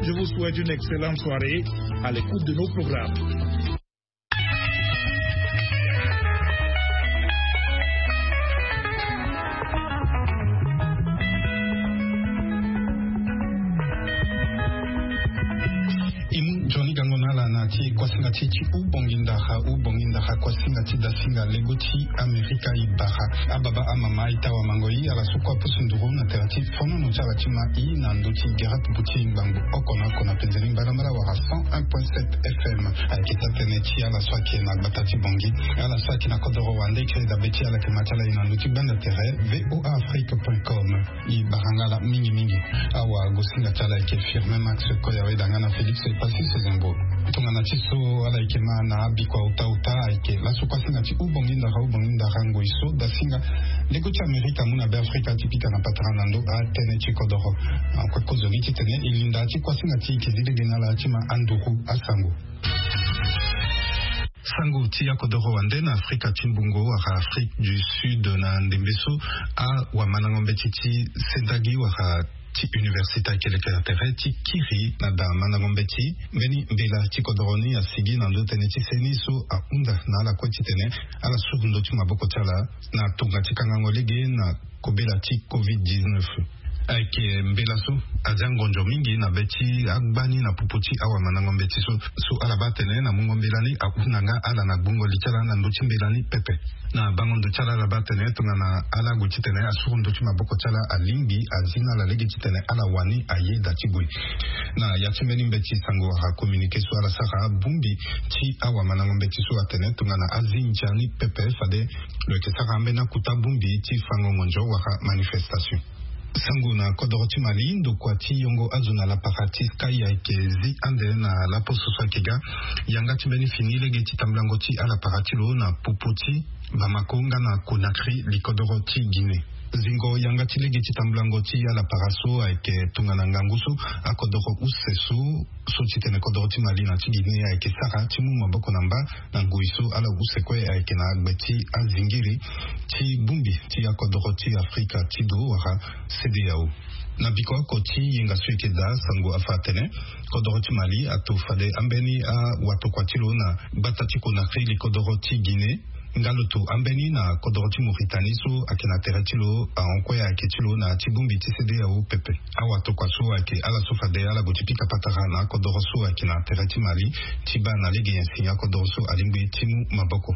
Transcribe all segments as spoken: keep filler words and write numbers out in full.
Je vous souhaite une excellente soirée à l'écoute de nos programmes. Imu joni gango na ala na ti kuasinga ti ti u bongi ndara u bongi ndara kuasinga ti dasinga lego ti Amerika i bara. Ababa amama i tawa mango i ala so kue apusu nduru na tere ti fonono ti ala ti ma i na ndö ti gere pupu ti ngbangbo oko na oko na penzeni mbalambala wala cent un point sept F M. Ayeke taa tënë ti ala so ayeke na gbata ti bongi, ala so ayeke na kodoro wande kiri dabe ti ala yeke ma ti ala i na ndö ti gbanda tere V O A Afrique point com. I bara nga ala mingi mingi. Awagosinga ti ala ayeke Firmin Max Koyawe danga na Félix Epassi Sezembo. Tongana ti so ala yeke ma na abikua uta uta ayeke laso kuasinga ti u bongi ndara u bongi ndara ngoi so dasinga lego ti Amerika amu na Beafrika ti pika na patara na ndö atënë ti kodoro. Akue kozoni titene e linda ti kuasinga ti e yeke zi lege na ala ti ma anduru asango. Sango ti akodoro wande na Afrika ti mbungo wala Afrique du Sud na ndembe so awamandango mbeti ti sendagi wala ti université ayeke leke na tere ti kiri na da mandango mbeti. Mbeni mbela ti kodoro ni asigi na ndö tënë ti seni so ahunda na ala kue titene ala suru ndö ti maboko ti ala na tonga ti kangango lege na kobela ti covid dix-neuf. Ayeke mbela so azia ngonzo mingi na be ti agbani na popo ti awamandango mbeti so. So ala baa atene na mungo mbela ni ahunda nga ala na gbungo li ti ala na ndö ti mbela ni pepe. Na bango ndo ti ala ala baa atene tongana ala gue titene asuru ndö ti maboko ti ala alingbi azi na ala lege titene ala wani ayeda ti gue. Na ya ti mbeni mbeti sango wala communiqué so ala sara bongbi ti awamandango mbeti so atene tongana azi ndia ni pepe fade lo yeke sara ambeni akuta bongbi ti fango ngonzo wala manifestation. Sango na kodoro ti Mali, ndokua ti yongo azo na lapara ti Sky ayeke zi ande na laposo so ayeke ga yanga ti mbeni fini lege ti tambulango ti alapara ti lo na popo ti Bamako nga na Conakry, likodoro ti Guinée. Zingo yanga ti lege ti tambulango ti alapara so ayeke tongana ngangu so akodoro use so so titene kodoro ti Mali na ti Guinée ayeke sara ti mu maboko na mba na ngoi so ala use kue ayeke na gbe ti azingiri ti bongbi ti akodoro ti Afrika ti do wala CEDEAO. Na biko oko ti yenga so eke daa, sango afa atene kodoro ti Mali ato fade ambeni awatokua ti lo na gbata ti Conakry, likodoro ti Guinée, nga lo to ambeni na kodoro ti Mauritanie so ayeke na tere ti lo ahon kue ayeke ti lo na ya ti bongbi ti CEDEAO pepe. Awatokua so ayeke ala so fade ala gue ti pika patara na akodoro so ayeke na tere ti Mali ti baa na lege nyen si akodoro so alingbi ti mu maboko.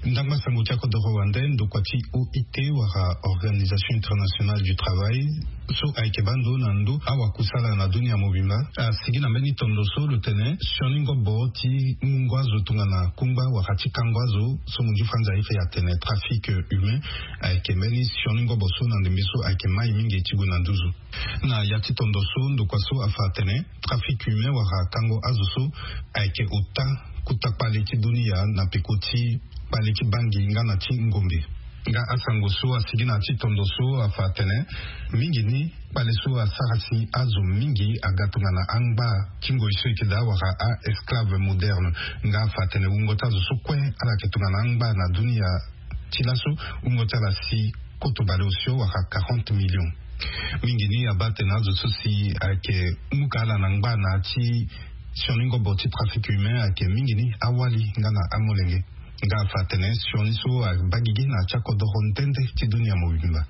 Ndangba sango ti akodoro wande, ndokua ti O I T wala Organisation Internationale du Travail so ayeke baa ndo na ndo awakusala na dunia mobimba asigi na mbeni tondo so lo tene sioni ngobo ti mungo azo tongana kungba wala ti kango azo so munzu franza aye fe atene trafic humain ayeke mbeni sioni ngobo so na ndembe so ayeke mai mingi ti gue na nduzu. Na ya ti tondo so ndokua so afa atene trafic humain wala kango azo so ayeke ota kota kpale ti dunia na peko ti kpale ti bangi nga na ti ngombe. Nga asango so asigi na ya ti tondo so afa atene mingi ni kpale so asara si azo mingi aga tongana angba ti ngoi so eke daa wala a-esclave moderne. Nga afa atene wungo ti azo so kue ala yeke tongana angba na dunia ti laso, wungo ti ala si koto bale osio wala quarante millions. Mingi ni abaa atene azo so si ayeke muka ala na ngba na ya ti sioni ngobo ti trafic humain ayeke mingi ni awali nga na amolenge. Nga afa atene sioni so abaa gigi na ya ti akodoro nde nde ti dunia mobimba.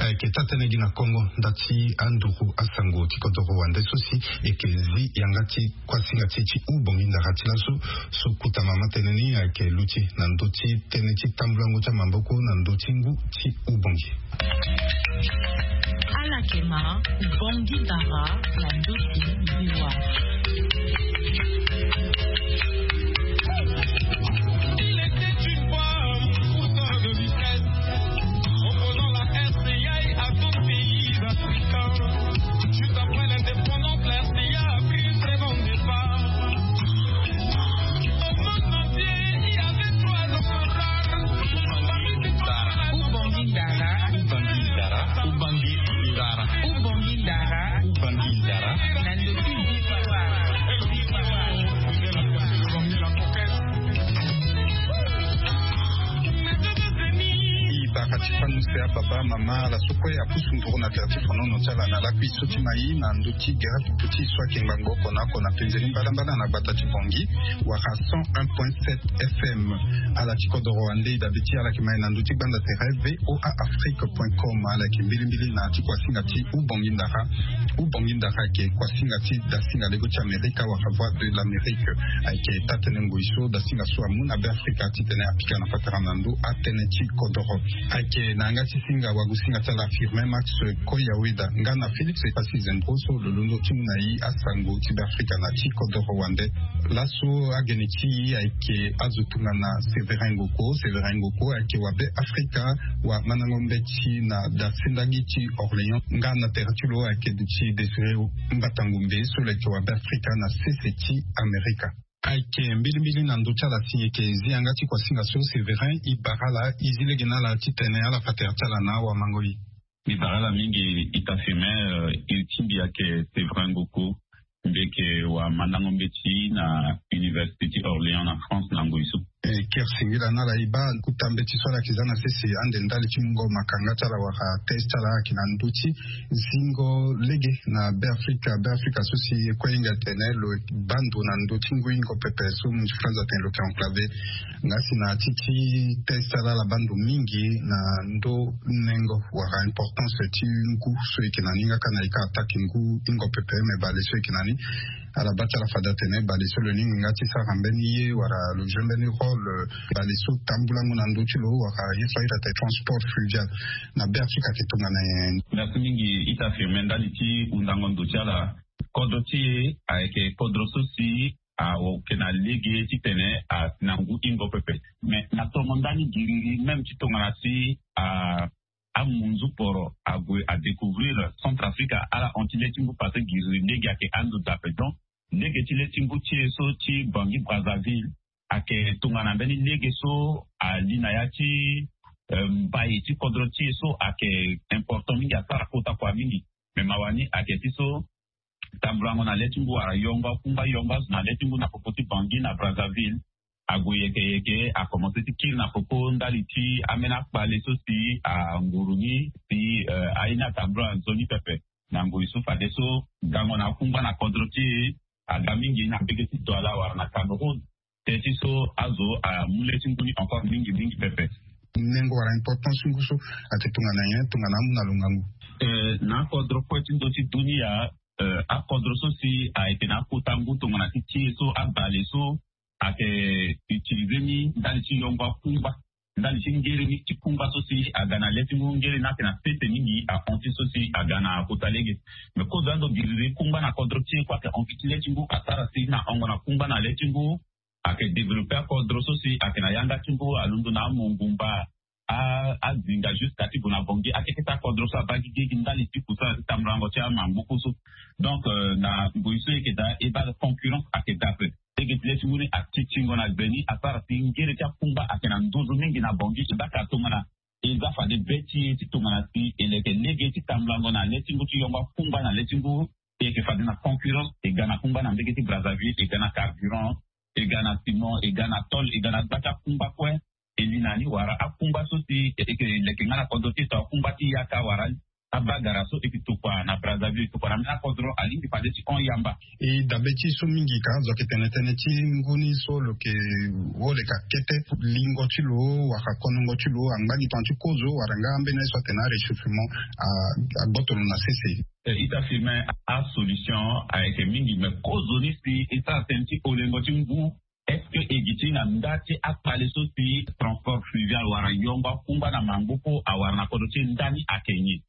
Ayeke taa tënë gi na Kongo nda ti anduru asango ti kodoro wande so si eke zi yanga ti kuasinga ti e ti u bongi ndara ti laso so kota mama tënë ni ayeke luti na ndö ti tënë ti tambulango ti amaboko na ndö ti ngu ti u bongi. Ala yeke ma u bongi ndara na ndö ti liwa. Il était une fois un pousseur de vitesse, opposant la R C I à tout pays africain. Juste après l'indépendance, la R C I a pris un très bon départ. Au monde entier, il y avait trois hommes rares. Parmi ces trois hommes, Ubangui Dara. Ubangui Dara. Ubangui Dara. Ubangui Dara. Ubangui Dara. Na ndö ti victoire. I baka ti Muse apapa mama ala so kue apusu nduru na tere ti fonono ti ala na lakui so ti mai na ndö ti gere pupu ti so ayeke ngbangbo oko na oko na penzeni mbadambada na gbata ti Bangui wala cent un point sept F M. Ala ti kodoro wande e dabe ti ala yeke mai na ndö ti gbanda tere V O A Afrique point com. Ala yeke mbilimbili na ti kuasinga ti Ubongi Ndara. Ubongi Ndara ayeke kuasinga ti dasinga lego ti Amerika wala Voix de l'Amérique. Ayeke taa-tënë ngoi so dasinga so amu na Beafrika titene apika na patara na ndö atënë ti kodoro. Ayeke na yanga ti singa wagu singa ti ala Firmin Max Koyaweda nga na Félix Passy Zembro so lo londo ti mu na e asango ti Beafrika na ti kodoro wande. Laso agene ti e ayeke azo tongana Sévérin Ngoko. Sévérin Ngoko ayeke wa Beafrika, wa mandango mbeti na dasendagi ti Orléans nga na tere ti lo ayeke duti Désiré Mbatangombe so lo yeke wa Beafrika na sese ti Amerika. Ayeke mbilimbili na ndö ti ala si e yeke zi yanga ti kuasinga so Sévérin e bara ala, e zi lege na ala titene ala fa tere ti ala na awamango-e. Mbi bara ala mingi ita Firmin. Eh, iri ti mbi ayeke Sévérin Ngoko. Mbi yeke wa mandango mbeti na Université ti Orléans na France na ngoi so. E, kere singila na ala e baa kota mbeti so ala yeke za na sese ande ndali ti mungo makanga ti ala wala test ti ala ayeke na ndö ti zingo lege na Beafrika. Beafrika so si e kue hinga tene lo baa ndo na ndö ti ngu hingo pepe so mu ti France atene lo yeke enclavé. Nga si na ya ti ti test ti ala ala baa ndo mingi na ndö nengo wala importance ti ngu so e yeke na ni nga ka na e ka attaque ngu hingo pepe me bale so e yeke na ni. Ala baa ti ala fade atene bale so lo lingbi nga ti sara mbeni ye wala lo joue mbeni rôle, bale so tambulango na ndö ti lo wala ye so ahiri atene transport fluvial na Beafrika ayeke tongana nyen? Merci mingi ita Firmin ndali ti hundango ndo ti ala. Kodro ti e ayeke kodro so si ayeke na lege titene asi na ngu hingo pepe. Mais na tongo ndani giriri même ti tongana si a amunzu poro ague adécouvrir Centrafrique, ala hon ti le ti ngu parce que giriri lege ayeke ando dape. Donc lege ti le ti ngu ti e so ti Bangui Brazzaville ayeke tongana mbeni lege so ali na ya ti, eh, mbai ti kodro ti e so ayeke important mingi, asara kota kua mingi. Mais mawa ni ayeke ti so tambulango na le ti ngu wala yongo akungba, yongo azo na le ti ngu na popo ti Bangui na Brazzaville ague yeke yeke, akomanse ti kiri na popo ndali ti ambeni akpale so si anguru ni si, eh, aye ni atambula nzoni pepe. Na ngoi so fadeso gango na akungba na kodro ti e aga mingi na mbege ti Douala wala na Cameroun. Teti so azo amu le ti ngu ni encore mingi mingi pepe. Nengo wala importance ti ngu so ayeke tongana nyen tongana amu na lo ngangu? Eh, na akodro kue ti ndö ti dunia, eh, akodro so si ayeke na akota ngu tongana ti ti e so abale so ayeke utiliser ni ndali ti yongo akungba, ndali ti ngere ni ti kungba so si aga na le ti ngu, ngere ni ayeke na sese mingi ahon ti so si aga na kota lege. Mais kozo ando giriri kungba na kodro ti e kue ayeke hon gi ti le ti ngu asara si na hongo na kungba na le ti ngu. Ayeke développer akodro so si ayeke na yanga ti ngu alondo na amongumba, a, azinga jusqu'à ti gue na Bangui, akeke ti akodro so abaa gigi gi ndali ti kusana ti tambulango ti amangbuku so. Donc, euh, na ngoi so e yeke daa e baa concurrence ayeke daa ape. Lege ti le ti ngu ni atitingo na gbe ni asara si ngere ti akungba ayeke na nduzu mingi na Bangui. E baa ka tongana e za fade be ti e ti tongana si e leke lege ti tambulango na le ti ngu ti yongo akungba na le ti ngu. E yeke fade na concurrence, e ga na kungba na mbege ti Brazzaville, e ga na carburant, e ga na ciment, e ga na tôle, e ga na gba ti akungba kue. E li na ni wala akungba so si e yeke leke nga na kodro ti e to akungba ti yaka wala abagara so e yeke tokua na Brazzaville, tokua na mbeni akodro, alingbi fade ti hon yamba. E dabe ti so mingi ka azo ayeke tene tënë ti ngu ni so lo yeke wo leka kete lingo ti lo wala konongo ti lo angba gi tongana ti kozo wala nga ambeni aye so atene aréchauffement, a, agboto lo na sese. Eh, ita Firmin, asolution ayeke mingi, mais kozoni si e sara tënë ti holengo ti ngu. Est-ce que e gi ti na nda ti akpale so si transport fluvial wala yongo akungba na mangbo kue awara na kodro ti e ndani ayeke nyen?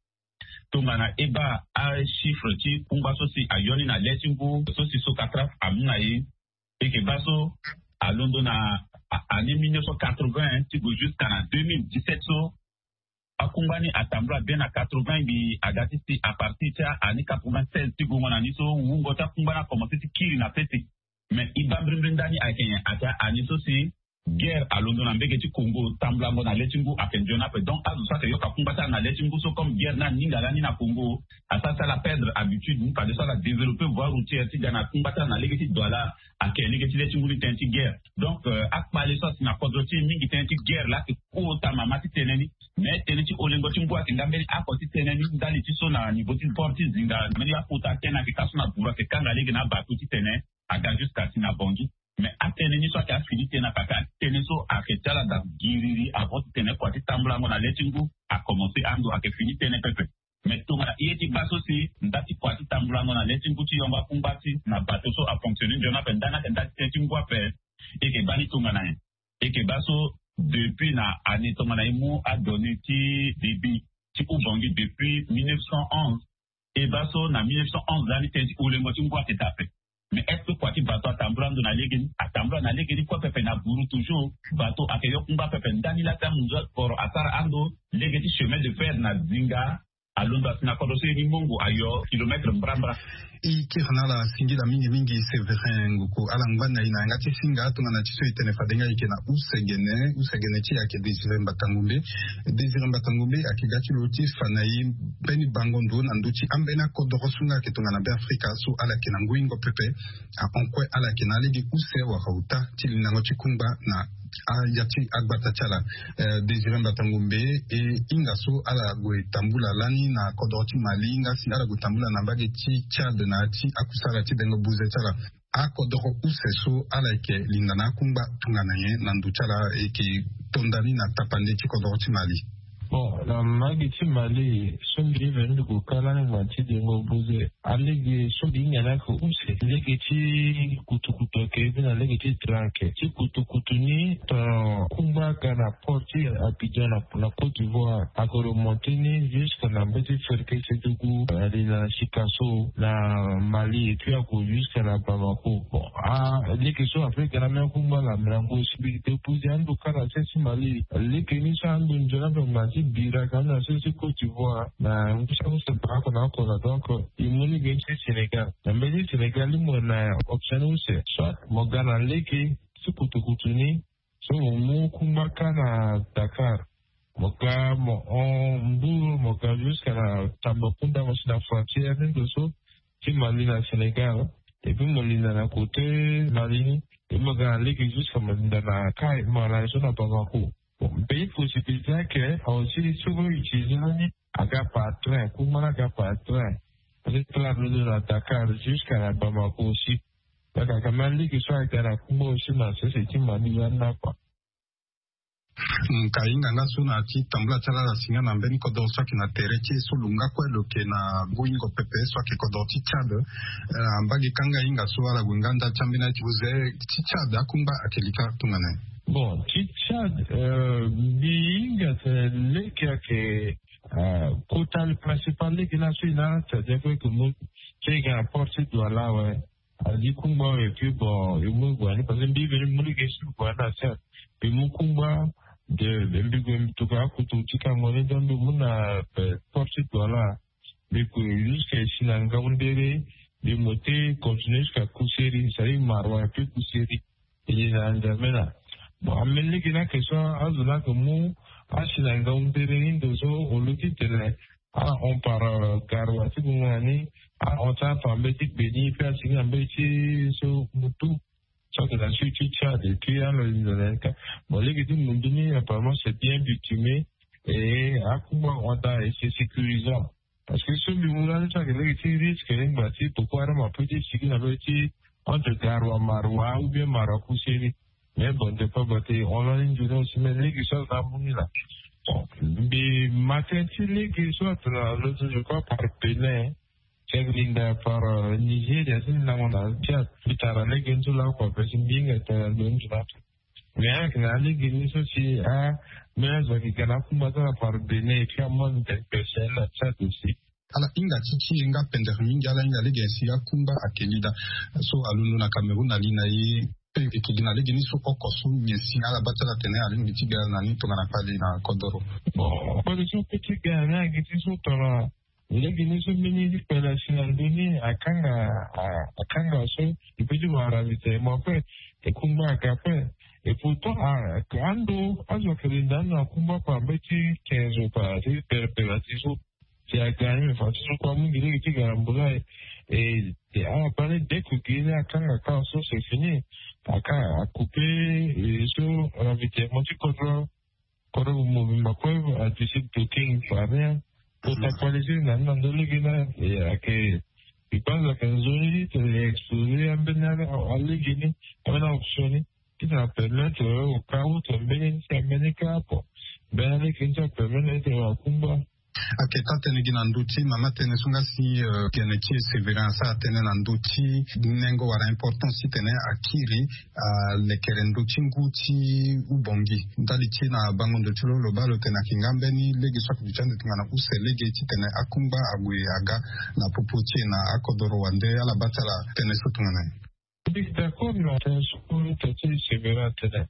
Tongana e baa achiffre ti kungba so si ayo ni na le ti ngu so si Socatraf amu na e, e yeke baa so alondo na a, année mille neuf cent quatre-vingts ti gue jusqu'à na deux mille dix-sept so, akungba ni atambula bien na quatre-vingts, mbi aga ti si à partir ti a-année quatre-vingt-seize ti gongo na ni so wungo ti akungba ni akomanse ti kiri na sese. Mais e baa mbirimbiri ndani ayeke nyen? Ayeke a-année so si Guerre alondo na mbege ti Congo, tambulango na le ti ngu ayeke nzoni ape. Donc azo so ayeke yoka kungba ti ala na le ti ngu so, comme guerre ni aninga lani na Congo, asara ti ala perdre habitude ni fadeso ala développer voie routière ti ga na kungba ti ala na lege ti Douala, ayeke lege ti le ti ngu ni tënë ti guerre. Donc akpale so asi na kodro ti e mingi tënë ti guerre laa ayeke kota mama ti tënë ni. Mais tënë ti olengo ti ngu ayeke nga mbeni oko ti tënë ni ndali ti so na niveau ti port ti Zinga, mbeni akota tënë ayeke ka so na buru ayeke kanga lege na abato ti tene aga jusqu'à si na Bangui. Mais atënë ni so ayeke afini tënë ape, atënë so ayeke ti ala daa giriri avant ti tene kua ti tambulango na le ti ngu akomense ando ayeke fini tënë pepe. Mais tongana ye ti baa so si nda ti kua ti tambulango na le ti ngu ti yongo akungba ti na bato so afonctionne nzoni ape, nda ni ayeke nda ti tënë ti ngu ape. E yeke baa ni tongana nyen? E yeke baa so depuis na année tongana e mu adonnées ti débit ti Oubangui depuis mille neuf cent onze. E baa so na mille neuf cent onze lani tënë ti olengo ti ngu ayeke daa ape. Mais est-ce que kua ti bato atambula ando na lege ni? Atambula na lege ni kue pepe na buru toujours. Bato ayeke yo kungba pepe ndani laa ti amunzu akoro asara ando lege ti chemin de fer na Zinga. Alondo asi na kodro so ye ni mongo ayo kilomètre mbrambra. E kiri na ala singila mingi mingi Séverin Nguku. Ala ngba na e na yanga ti singa tongana ti so e tene fade nga e yeke na use gene, use gene ti e ayeke Désiré Mbatangombe. Désiré Mbatangombe ayeke ga ti lo ti fa na e mbeni bango ndo na ndö ti ambeni akodoro so nga ayeke tongana Beafrika so ala yeke na ngu hingo pepe. Ahon kue ala yeke na alege use wala uta ti lindango ti kungba na aya ti agbata ti ala. Eh, Désiré Mbatangombe, e hinga so ala gue tambula lani na kodoro ti Mali, hinga si ala gue tambula na mbage ti Tchad na ya ti akusala ti bengo buze ti ala. Akodoro use so ala yeke linda na akungba tongana nyen na ndo ti ala, e yeke to ndani na tapande ti kodoro ti Mali? Bon, na mbage ti Mali so mbi veni mbi gue ka lani ngba ti dengo buze. Alege so mbi hinga ni ayeke use lege ti kutukutu ayeke, e bi na lege ti train ayeke. Ti kutukutu ni, tongana kungba aga na port ti Abidjan na, na Côte d'Ivoire, ayeke remonter ni jusque na mbeti Ferke Sédougou, ali na Sikasso na Mali, et puis ayeke jusque na Bamako. Bon, ah, lege so ape ga na mbeni kungba na mirango si mbi déposer ando kâ na sese ti Mali. Lege ni so ando nzoni ape ngba ti bira ka na sese ti Côte d'Ivoire, na ngu ti akusala baa oko na oko na. Donc e mu ni ge ti Sénégal. Na mbeti Sénégal ni mo na option ni use. Soit mo ga na lege ti kutukutu ni, so mo mu kungba kâ na Dakar. Mo ga mo hon Mbour, mo ga jusque na Tambacounda, mo si na frontière ni ndo so ti Mali na Sénégal. Et puis mo linda na côté Mali ni, et mo ga na lege jusque mo linda na Kayes, mo na so na Bamako. Bon, mbi pe possibilité ayeke, aussi so mo utiliser lani aga par train, kungba ni aga par train. Parce que ala londo na Dakar jusque na Bamako aussi. Donc aka même lege so aga na kungba aussi na sese ti Mali lani na kua. Mm, ka hinga nga so na ya ti tambula ti ala, ala si nga na mbeni kodoro so ayeke na tere ti e so lo nga kue lo yeke na ngu hingo pepe so ayeke kodoro ti Tchad. Eh, na mbage kanga hinga so ala gue nga nda ti ambeni aye ti buze ti Tchad, akungba ayeke lika tongana nyen? Bon, ti Tchad, eh, mbi hinga tene lege ayeke, eh, kota le principal lege ni so e na Tchad, kue ayeke mu ti e ga na port ti Douala awe. Adi kungba awe, et puis bon, e mu e gue na ni parce que mbi veni mbi mu lege so e gue na ni na Tchad. Mbi mu kungba de, mbi gue mbi tokua akutu ti kango ni, donc mbi mu na, eh, port ti Douala. Mbi gue jusque si na Ngaoundéré, mbi mu ti continuer jusqu'à Kousséri, c'est-à-dire Maroua et puis Kousséri. E ye na N'Djamena. Bon, ambeni lege ni ayeke so azo ni ayeke mu asi na Ngaoundéré ni ndo so, o lo ti tene ala hon par, euh, Garoua ti gue nga na ni, ala hon ti ala par mbeti Béni, puis asi na mbeti so Moutou, so ayeke na sud ti Tchad, et puis ala linda na ni kâ. Bon, lege ti Moutou ni apparemment c'est bien bitumé, et akungba ahon daa et c'est sécurisant. Parce que so mbi mu lani so ayeke lege ti risque ni ngba ti Boko Haram apeut ti sigi na mbeti entre Garoua Maroua ou bien Maroua Kousséri. Mais bon, dépend bate, on lani nzoni aussi, mais lege so azo ni amu ni laa. Bon, mbi ma tënë ti lege so atene na lo so, je crois, par Bénin, ti ayeke linda par, euh, Nigeria, ti lindango na Tchad. Mbi tara lege ni so lakue ape si mbi hinga tene na lo ni so laa. Mais ayeke na alege ni so si, ah, mais azo ayeke ga na akungba ti ala par Bénin, et puis amu ande tene pese na Tchad aussi. Ala hinga ti ti e nga pendere mingi, ala hinga lege si akungba ayeke li daa. So alondo na Cameroun, ali na e pe e yeke gi na lege ni so oko so nyen si ala baa ti ala tene alingbi ti ga na ni tongana kpale na kodoro? Bon, kpale so apeut ti ga na ni ayeke ti so tongana lege ni so mbeni ti kpale asi na ndö ni akanga, a, akanga so e peut ti wara ravitaillement kue, e kungba aga kue. Et puis Pourtant, ando azo ayeke linda ande na kumba par mbeti quinze par ti perepere na ti so. Si aga ni me fa ti so kue amu ngi lege ti ga na mbula. E ala baa ni dès que gi ni akanga ka so c'est fini. Aka akupe so ravitaillement ti kodro. Kodro mobimba kue adécide blocking par rien. Pour actualiser na ni na ndo lege ni. Ayeke, je pense ayeke nzoni ti tene e exposer ambeni alege ni, ambeni aoption ni. Ti tene apermettre au cas où tene mbeni ni ti ambeni ka apo. Mbeni alege ni ti apermettre ni ti tene wakumba. Ayeke taa tënë gi na ndö ti mama tënë so nga si gene ti e Sévérin asara tënë na ndö ti nengo wala importance ti tene akiri alekere ndö ti ngu ti Ubongi. Ndali ti e na bango ndo ti lo lo baa lo tene ayeke nga mbeni lege so ayeke duti ande tongana use lege ti tene akungba ague aga na popo ti e na akodoro wande ala baa ti ala tënë so tongana nyen? Mbi d'accord na tënë so tene ti Sévérin atene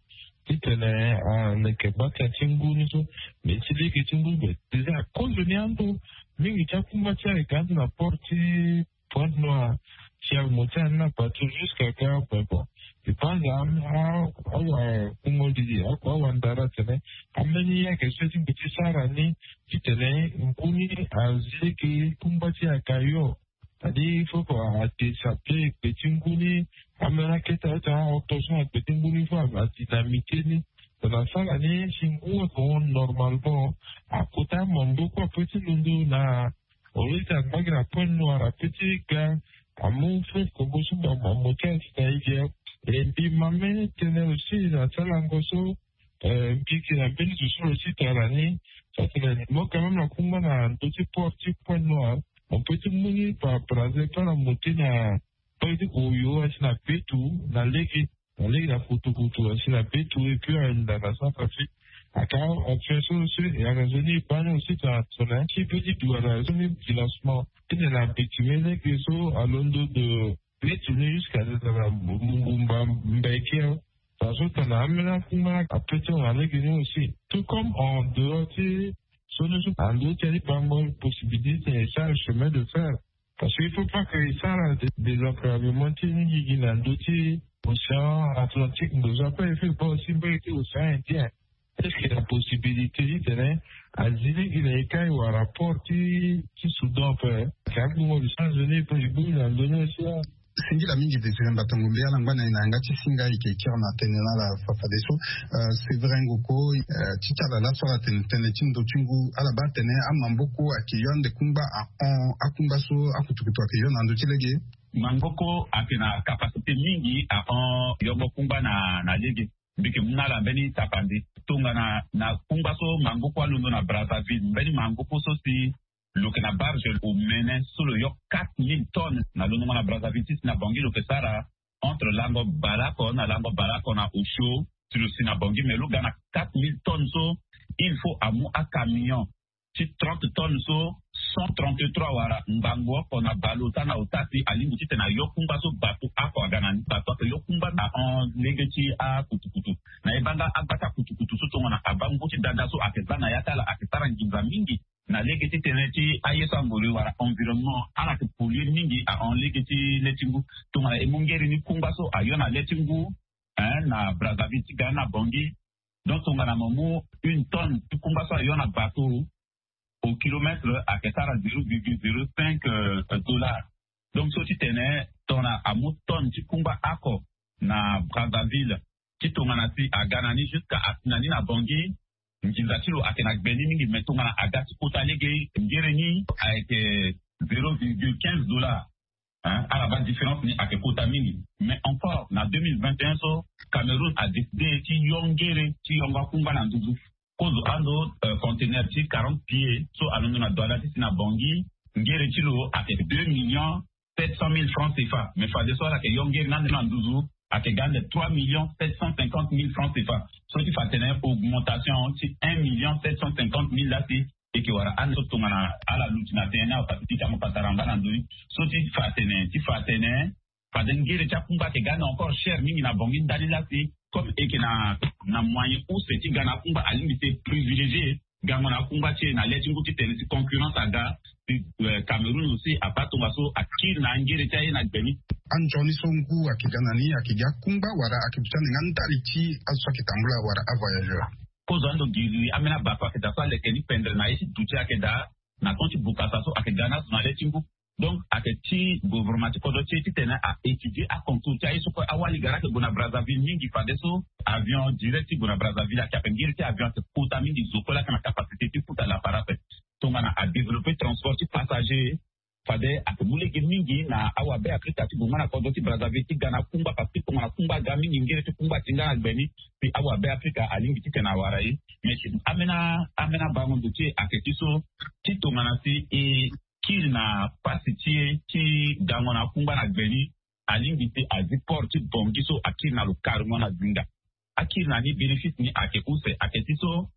ti tene aleke bata ti ngu ni so. Mais ti lege ti ngu be déjà akozo ni ando mingi ti akungba ti e ayeke ande na port ti Pointe Noire. Si amu ti ani na bateau jusqu'à Gao, mais bon, je pense awa kungoli akua awa ndara atene ambeni ye ayeke so ti mbi ti sara ni ti tene ngu ni azi lege kungba ti e aga yo. Adi il faut que a désape gbe ti ngu ni. Ambeni akete aye ti aorto so na gbe ti ngu ni fo adynamite ni. Tongana asara ni si ngu ayeke hon normalement, akota mamboko ape ti londo na au lieu ti angba gi na Pointe Noire ape ti ga amu fleuve Congo so mbi amu ti asi na e ge. E mbi ma mbeni tënë aussi na ti alango so. Mbi yeke na mbeni zo so lo ti tara ni. Sa tene mo quand même na kungba na ndö ti port ti Pointe Noire, on peut ti mu ni par Brazza ti ala monter na port ti Oyo asi na Betou na lege, na lege na Kutukutu asi na Betou et puis ahinda na Centrafrique. Aka option so so e yanga nzoni e baa ni aussi tongana tongana ti be ti duara so ni financement ti tene abitime lege so alondo de Betou ni jusqu'à na Mumba Mbeki. Parce que tongana ambeni akungba ape ti hon na lege ni aussi. Tout comme en dehors ti so ni so ando ti ali bango possibilité ti tene e sara chemin de fer. Parce que il faut pas que e sara désenclavement ti ni gi gi na ndö ti océan Atlantique ndo so ape. Il faut baa aussi mbage ti océan Indien. Est-ce que na possibilité ti tene azi lege na e kai wala port ti ti Soudan ape? Ayeke agbongo licence ni e pe e bongbi na ndo ni aussi. Singila mingi Désiré Mbatango mbi ala ngba na e na yanga ti singa e yeke kiri na tënë na ala fafadeso. Sévérin Ngoko, ti ti ala laso ala tene tënë ti ndo ti ngu ala baa tene amamboko ayeke yo ande kungba ahon akungba so akutukutu ayeke yo na ndö ti lege. Mangoko ayeke na capacité mingi ahon yongo kungba na na lege. Mbi yeke mu na ala mbeni tapande tongana na kungba so mangoko alondo na Brazzaville, mbeni mangoko so si lo yeke na barge omene so lo yo quatre mille tonnes na londongo na Brazzaville ti si na Bangui lo yeke sara entre lango baleoko na lango baleoko na osio. Si lo si na Bangui mais lo ga na quatre mille tonnes so il faut amu acamion ti trente tonnes so cent trente-trois wala ngbangbo oko na baleota na ota si alingbi ti tene ayo kungba so bato oko aga na ni. Bato ayeke yo kungba na hon lege ti akutukutu. Na e baa nga agba ti akutukutu so tongana abaa ngu ti dada so ayeke za na ya ti ala ayeke sara nginza mingi na lege ti tënë ti aye so angoro e wala environnement ala yeke polluer mingi ahon lege ti le ti ngu. Tongana e mu ngere ni kungba so ayo na le ti ngu na Brazzaville ti ga ni na Bangui. Donc tongana mo mu une tonne ti kungba so ayo na bato au kilomètre ayeke sara zéro virgule zéro cinq dollars. Donc so ti tene tongana amu tonne ti kungba oko na Brazzaville ti tongana si aga na ni jusqu'à asi na ni na Bangui, nginza ti lo ayeke na gbe ni mingi. Mais tongana aga ti kota lege ngere ni ayeke zéro virgule quinze dollars. Ala baa différence ni ayeke kota mingi. Mais encore na deux mille vingt et un so Cameroun adécide ti yo ngere ti yongo akungba na nduzu. Kozo ando conteneur ti quarante pieds so alondo na douala ti si na Bangui, ngere ti lo ayeke deux millions sept cent mille francs CFA. Mais fadeso ala yeke yo ngere ni ande na nduzu ayeke ga ande trois millions sept cent cinquante mille francs CFA. So ti fa atene augmentation ti un million sept cent cinquante mille lasi. E yeke wara ande so tongana ala luti na tënë ni awe pasi ti ti amu patara ngba na ndö ni. So ti fa atene ti fa atene fade ngere ti akungba ayeke ga ande encore cher mingi na Bangui ndali lasi. Comme e yeke na na moyen use ti ga na akungba alingbi ti privilégier gango na akungba ti e na le ti ngu ti tene si concurrence aga. ti Cameroun aussi abaa tongaso akiri na angere ti aye na gbe ni. Anzoni so ngu ayeke ga na ni ayeke ga kungba wala ayeke duti ande nga ndali ti azo so ayeke tambula wala avoyageur? Kozo ando giri ambeni abato ayeke daa so aleke ni pendre na ye ti duti ayeke daa na ton ti bukasa so ayeke ga na azo na le ti ngu. Donc ayeke ti gouvernement ti kodro ti e titene a-étudier acontour ti aye so kue awali gara ayeke gue na Brazzaville mingi fadeso avion direct ti gue na Brazzaville ayeke ape ngiri ti avion ayeke kota mingi zo kue laa ayeke na capacité ti futa lapara ape. Tongana adévelopper transport ti passager fade ayeke mu lege mingi na awabe afrika ti gue nga na kodro ti Brazzaville ti ga na akungba parce que tongana kungba aga mingi ngiri ti kungba ti nga na gbe ni. Puis awabe afrika alingbi titene awara ye. Mais si ambeni ambeni abango ndo ti e ayeke ti so ti tongana si e kiri na pasi ti e ti gango na akungba na gbe ni alingbi si azi port ti Bangui so akiri na lo carrément na zinga. Akiri na ni bénéfice ni ayeke use ayeke ti so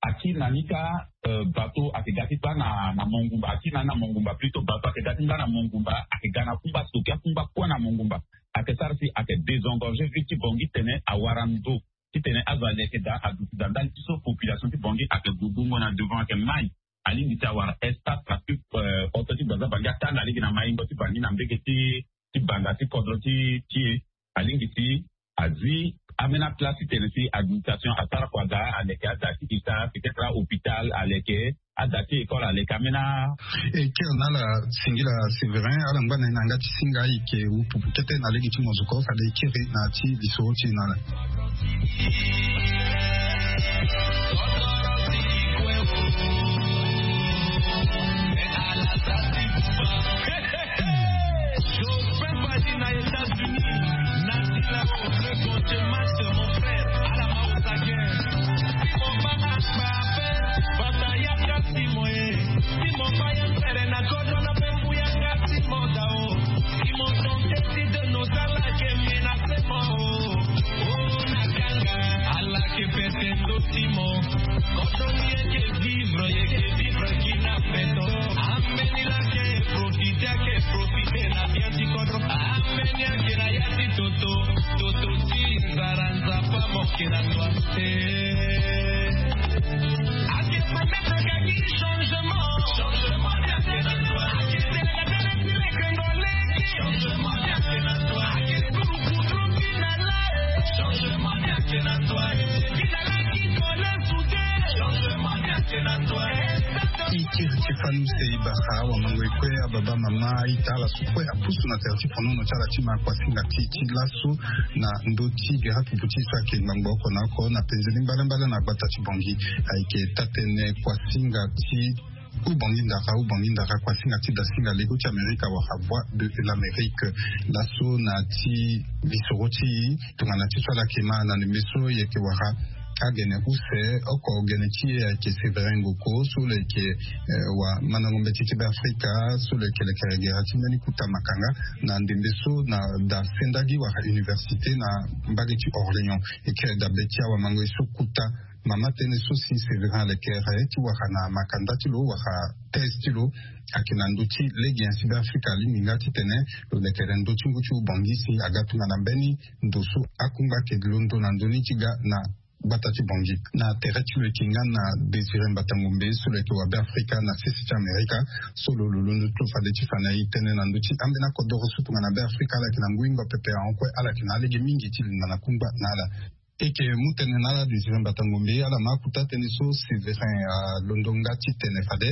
akiri na ni ka bateau ayeke ga ti baa na mongumba akiri na ni na mongumba plutôt bateau ayeke ga ti baa na mongumba ayeke ga na kungba soki akungba kue na mongumba. Ayeke sara si ayeke désengorger ville ti Bangui titene awara ndo titene azo aleke daa aduti daa ndali ti so population ti Bangui ayeke gue bongo na devant ayeke mai. Alingbi si awara espace parce que oto ti Brazza Bangui atanga lege na maingo ti Bangui na mbege ti ti banda ti kodro ti ti e. Alingbi si azi ambeni aplace titene si administration asara kua daa aleke ada ti ita peut-être ahôpital aleke ada ti école aleke ambeni a. E kiri na ala singila Séverin ala ngba na ye na yanga ti singa ayeke wupupu kete na lege ti mozoko fade e kiri na ya ti lisoro ti e na ala. Ti fani use e bara awamango e kue ababa mama aita ala so kue apusu na tere ti fonono ti ala ti ma kuasinga ti e ti laso na ndö ti gere apupu ti e so ayeke ngbangbo oko na oko na penze ni mbalembale na gbata ti Bangui. Ayeke taa-tënë kuasinga ti Ubangui ndara Ubangui ndara kuasinga ti dasinga lego ti Amerika wala Voix de l'Amérique. Laso na ti lisoro ti e tongana ti so ala yeke ma na ndembe so e yeke wara agene use oko gene ti e ayeke Séverin Ngoko so lo yeke wamandango mbeti ti Beafrika so lo yeke lekere gere ti mbeni kuta makanga na ndembe so na da sendagi wala université na mbage ti Orléans. E kiri dabe ti awamango e so kuta mama tënë so si Séverin alekere ti wara na makanda ti lo wala thèse ti lo ayeke na ndö ti lege nyen si Beafrika alingbi nga titene lo lekere ndö ti ngu ti Ubangui si aga tongana mbeni ndo so akungba ayeke londo na ndö ni ti ga na gbata ti Bangui. Na tere ti lo yeke nga na Désiré Mbatangombe so lo yeke wa Beafrika na sese ti Amerika so lo lo londo ti lo fade ti fa na e tënë na ndö ti ambeni akodoro so tongana Beafrika ala yeke na ngu hingo pepe ahon kue ala yeke na alege mingi ti linda na kungba na ala. E yeke mu tënë na ala Désiré Mbatangombe ala ma akuta tënë so Séverin alondo nga titene fade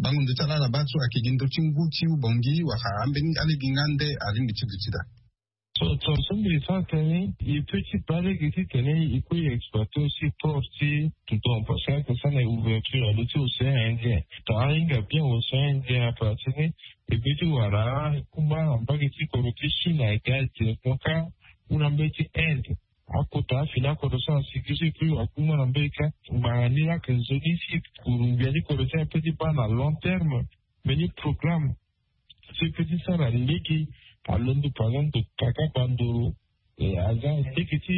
bango ndo ti ala ala baa so ayeke gi ndö ti ngu ti Ubangui wala ambeni alege nga nde alingbi ti duti daa. So so so mbi sara tënë e peut ti baa lege titene e kue e exploiter aussi port ti Toudon parce que ayeke sara na ouverture na ndö ti océan Indien. Tongana ahinga bien océan Indien ape atene e peut ti wara kungba na mbage ti kodro ti Chine ayeke ga directement kâ ou na mbage ti Inde. Akota afini akodro so na sigi so e peut wara kungba na mbage kâ ngbanga ni laa ayeke nzoni si kuru ngbia ti kodro ti ape ti baa na long terme. Mbeni programme so e peut ti sara lege alondo par exemple kaka bandoro aza lege ti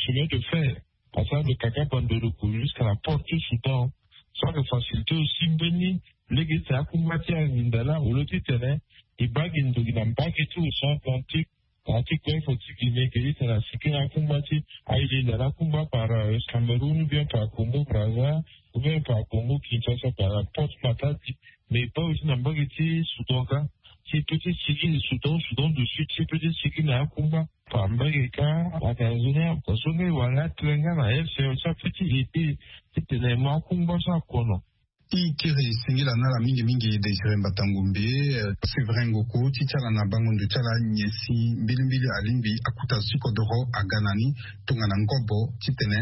chemin de fer asara de kaka bandoro ko jusqu'à la porte ti Soudan. So ayeke facilité aussi mbeni lege ti akungba ti alinda laa au lieu titene e baa gi ndoki na mbage ti océan Atlantique. Na ti golfe ti Guinée ke titene asigi na akungba ti alinda na akungba par Cameroun ou bien par Congo Brazza ou bien par Congo Kinshasa par la porte Matadi. Mais e baa aussi na mbage ti Soudan ka, ti e pe ti sigi na Soudan, Soudan du Sud, ti e pe ti sigi na akungba. Fa mbage ka, ayeke na nzoni azo nga e wara nga atene nga na F C E O ti ape ti ede titene e mu akungba so akono. I kiri singila na ala mingi mingi, Désiré Mbata Ngombe, eh, Séverin Ngoko, ti ti ala na bango ndo ti ala nyen si mbilimbili alingbi akuta azo ti kodoro aga na ni tongana ngobo titene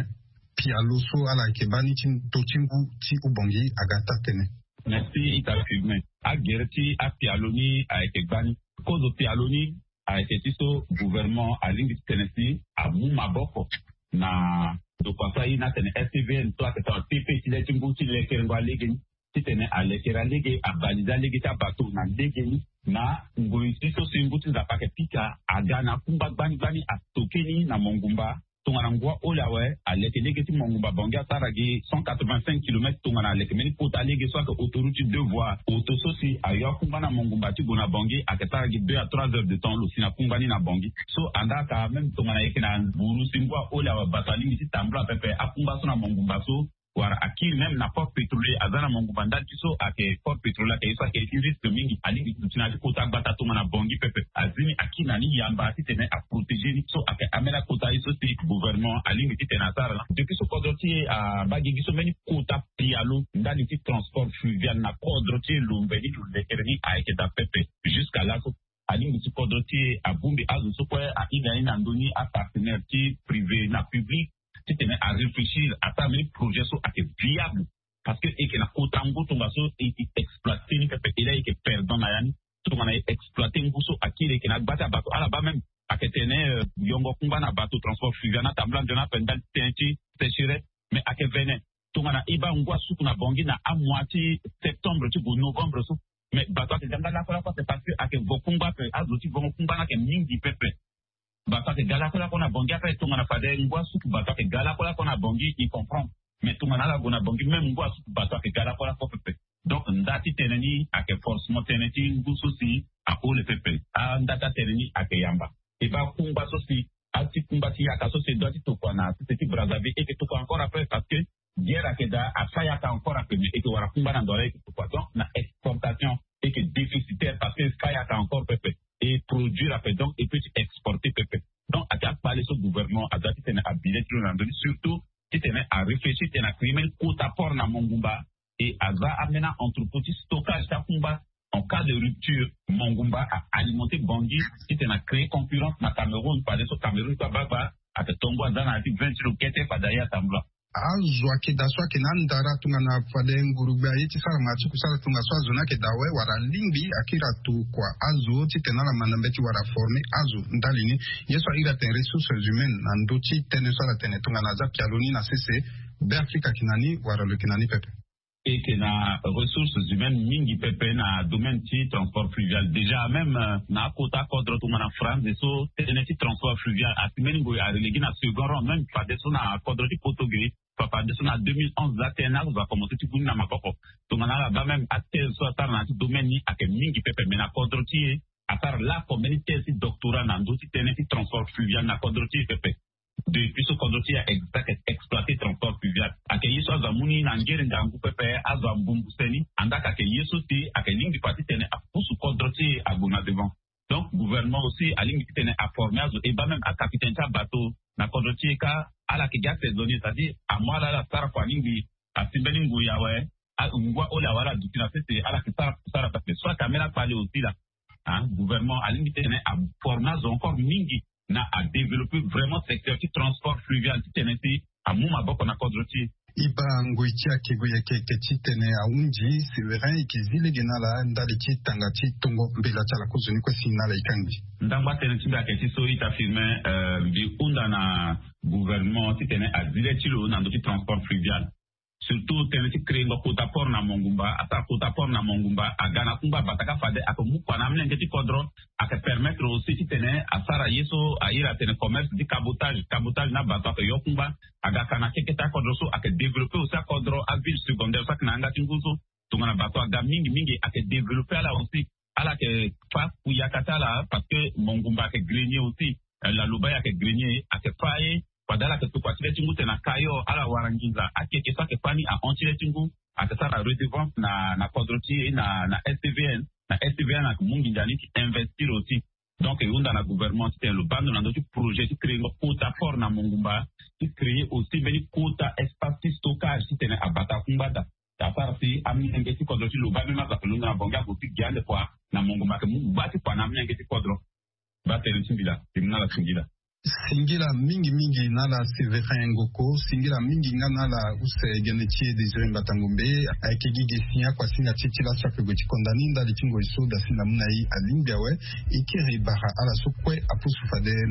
pialo so ala yeke baa ni ti to ti ngu ti Ubongi aga taa tënë. Merci ita firme. Agere ti apialo ni ayeke gbani. Kozo pialo ni ayeke ti so gouvernement alingbi titene si amu maboko na ndokua so aye ni atene S T V N so ayeke tara T P ti le ti ngu ti lekerengo alege ni, titene alekere alege, abalize alege ti abato na lege ni. Na ngoi ti so si ngu ti Nzapa ayeke pika aga na akungba gbani gbani, atoke ni na Mongumba. Tongana ngu aholi awe, aleke lege ti Mongumba Bangui asara gi cent quatre-vingt-cinq kilomètres, tongana aleke mbeni kota lege so ayeke autoroute ti deux voies, oto so si ayo akungba na Mongumba ti gue na Bangui ayeke sara gi deux à trois heures de temps lo si na kungba ni na Bangui. So andaa ka même tongana e yeke na buru si ngu aholi awe, bato alingbi ti tambula pepe akungba so na Mongumba so, wala akiri même na port pétrolier aza na Mongumba ndali ti so ayeke port pétrolier ayeke ye so ayeke ye ti risque mingi, alingbi duti na ya ti kota gbata tongana Bangui pepe. Azi ni akiri na ni yamba titene aprotégé ni. So ayeke ambeni akota ye so si gouvernement alingbi titene asara laa. Depuis so kodro ti e abaa gigi so mbeni kota pialo ndali ti transport fluvial na kodro ti e lo mbe ni lo lekere ni ayeke daa pepe. Jusqu'à laso alingbi ti kodro ti e abongbi azo so kue ahinga ni na ndoni apartenaire ti privé na public titene aréfléchir asara mbeni projet so ayeke viable. Parce que e yeke na kota ngu tongaso e exploité ni pepe, e laa e yeke perdant na ya ni. Tongana e exploité ngu so akiri e yeke na agba ti abato ala baa même ayeke tene, euh, yongo kungba na bato transport fluvial na tambula nzoni ape ndali ti tënë ti sécheresse. Mais ayeke vene tongana e baa ngu asuku na Bangui na amois ti septembre ti gue novembre so, mais bato ayeke ga nga lakue lakue ape parce que ayeke vo kungba ape, azo ti vongo kungba ni ayeke mingi pepe. Bato ayeke ga lakue lakue na Bangui ape. Tongana fade ngu asuku bato ayeke ga lakue lakue na Bangui, e comprendre. Mais tongana ala gue na Bangui même ngu asuku bato ayeke ga lakue lakue pepe. Donc nda ti tënë ni ayeke forcément tënë ti ngu so si ahole pepe. Anda ti atënë ni ayeke yamba. E baa kungba so si ati kungba ti yaka so si e doit ti tokua na sese ti Brazzaville e yeke tokua encore après parce que guerre ayeke daa, afa yaka encore ape, mais e yeke wara kungba na ndo ala e yeke tokua. Donc na exportation e yeke déficitaire parce que fa yaka encore pepe, e produire ape, donc e peut ti exporter pepe. Donc ayeke akpale so gouvernement aza titene abi le ti lo na ndö ni, surtout titene aréfléchir titene acréer mbeni kota port na Mongumba. Et aza ambeni entrepôt ti stockage ti akungba. En cas de rupture, Mongumba a alimenté Bangui titene acréer concurrence na Cameroun. Fadeso Cameroun so abagba ayeke tongo aza na ya ti vingt kilo kete fade aye atambula. Azo ayeke daa so ayeke na andara tongana fade ngurugbe aye ti sara ma ti kusala tongaso azo ni ayeke daa awe wala alingbi akiri atokua azo titene ala ma na mbeti wala aformer azo ndali ni. Ye so ahiri atene ressources humaines na ndö ti tënë so ala tene tongana aza pialo ni na sese Beafrika ayeke na ni wala lo yeke na ni pepe. E yeke na ressources humaines mingi pepe na domaine ti transport fluvial. Déjà même, euh, na akota kodro tongana France so tënë ti transport fluvial asi mbeni ngoi arele gi na second rang, même fadeso na kodro ti poto ge. Fa fadeso na deux mille onze la tënë azo akomanse ti gu ni na maboko. Tongana ala baa même athèse so asara na ya ti domaine ni ayeke mingi pepe, mais na kodro ti e asara laoko mbeni thèse ti doctorat na ndö ti tënë ti transport fluvial na kodro ti e pepe. Depuis so kodro ti e ayeke exploité transport fluvial, ayeke ye so azo amu ni na ngere ngangu pepe, azo ambumbu se ni. Andaa ka ayeke ye so si ayeke lingbi fa titene apusu kodro ti e ague na devant. Donc gouvernement aussi alingbi titene aformer azo, e baa même acapitaine ti abato na kodro ti e ka, ala yeke gi asaisonnier, c'est-à-dire amu ala ala sara kua alingbi asi mbeni ngoi awe, a- ngu aholi awe ala duti na sese ala yeke sara kusala pepe. So ayeke ambeni akpale aussi laa. Hein, gouvernement alingbi titene aformer azo encore mingi na adévelopper vraiment secteur ti transport fluvial titene si amu maboko na kodro ti e. E baa ngoi ti akego yeke yeke titene ahunzi. Séverin, e yeke zi lege na ala ndali ti tanga ti tongo mbela ti ala kozoni kue si na ala e kangbi. Ndangba tënë ti mbi ayeke ti so ita firme, euh, mbi hunda na gouvernement titene azi le ti lo na ndö ti transport fluvial. Surtout tënë ti créengo kota port na Mongumba, asara kota port na Mongumba, aga na akungba bataka fade ayeke mu kua na amolenge ti kodro, ayeke permettre aussi titene asara ye so ahiri atene commerce ti cabotage, cabotage na bato ayeke yo kungba, aga ka na keke ti akodro so ayeke développer aussi akodro, aville secondaire so ayeke na yanga ti ngu so. Tongana bato aga mingi mingi ayeke développer ala aussi. Ala yeke fa ku yaka ti ala parce que Mongumba ayeke grenier aussi. Eh, Laloba ayeke grenier, ayeke fa aye. Fade ala yeke tokua ti le ti ngu tene na Kayor ala wara nginza akeke so ayeke fa ni ahon ti le ti ngu. Ake sara redevance na na kodro ti e na na stvn. Na stvn ake mu nginza ni ti investir aussi. Donc e hunda na gouvernement ti tene lo baa ndo na ndö ti projet ti créer ngo kota fort na mongumba, ti créer aussi mbeni kota espace ti stockage ti tene abata kungba daa. Asara si amenge ti kodro ti lo baa même aza pe lo ndo na bongi ago ti gi ande kua na mongumba ake mu gba ti kua na amenge ti kodro. Baa tene ti mbila ti mu na ala singila. Singila mingi mingi na ala Severin Ngoko, singila mingi nga na ala use gene ti e Désiré Mbata Ngombe. Ayeke gi ge si akuasinga ti e ti laso ape gue ti konda ni ndali ti ngoi so da si na mu na e alingbi awe. E kiri bara ala so kue apusu fade